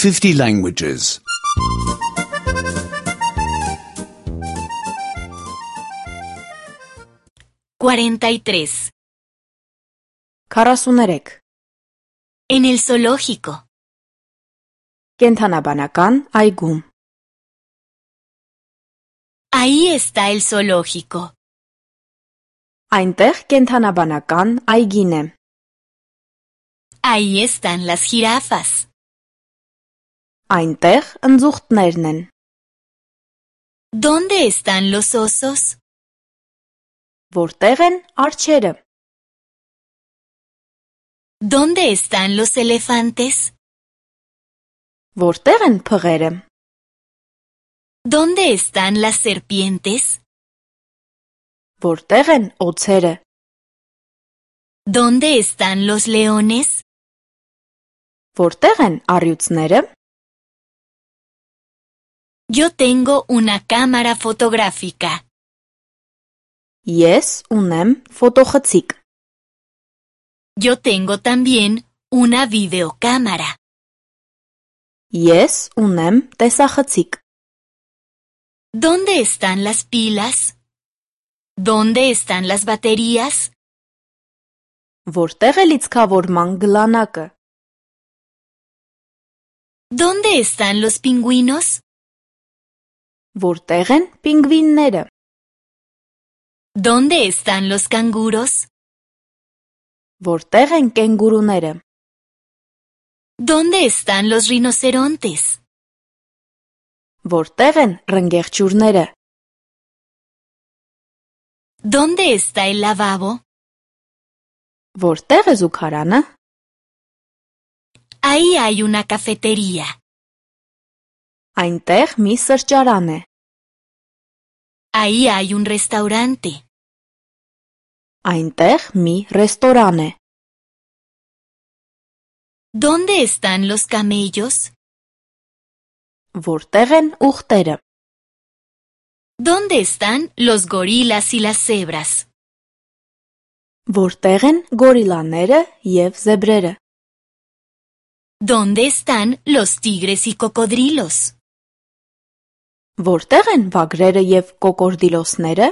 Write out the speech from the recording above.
50 languages. 43. 43. En el zoológico. Կենդանաբանական այգում։ Ahí está el zoológico. Այնտեղ կենդանաբանական այգին է։ Ahí están las jirafas. Այնտեղ ընձուղտներն են։ ¿Dónde están los osos? Որտեղ են արջերը։ ¿Dónde están los elefantes? Որտեղ են փղերը։ ¿Dónde están las serpientes? Որտեղ են օձերը։ ¿Dónde están los leones? Որտեղ են առյուծները։ Yo tengo una cámara fotográfica. Ես ունեմ ֆոտոխցիկ։ Yo tengo también una videocámara. Ես ունեմ տեսախցիկ։ ¿Dónde están las pilas? ¿Dónde están las baterías? Որտեղ է լիցքավորման գլանակը։ ¿Dónde están los pingüinos? Որտեղ են պինգվինները։ ¿Dónde están los canguros? Որտեղ են կենգուրուները։ ¿Dónde están los rinocerontes? Որտեղ են ռնգեղջյուրները։ ¿Dónde está el lavabo? Որտեղ է զուգարանը։ Ahí hay una cafetería. Այնտեղ մի սրճարան է։ Ahí hay un restaurante. Այնտեղ մի ռեստորան է։ ¿Dónde están los camellos? Որտեղ են ուղտերը։ ¿Dónde están los gorilas y las cebras? Որտեղ են գորիլաները եւ զեբրերը։ ¿Dónde están los tigres y cocodrilos? Որտեղ են վագրերը եւ կոկորդիլոսները։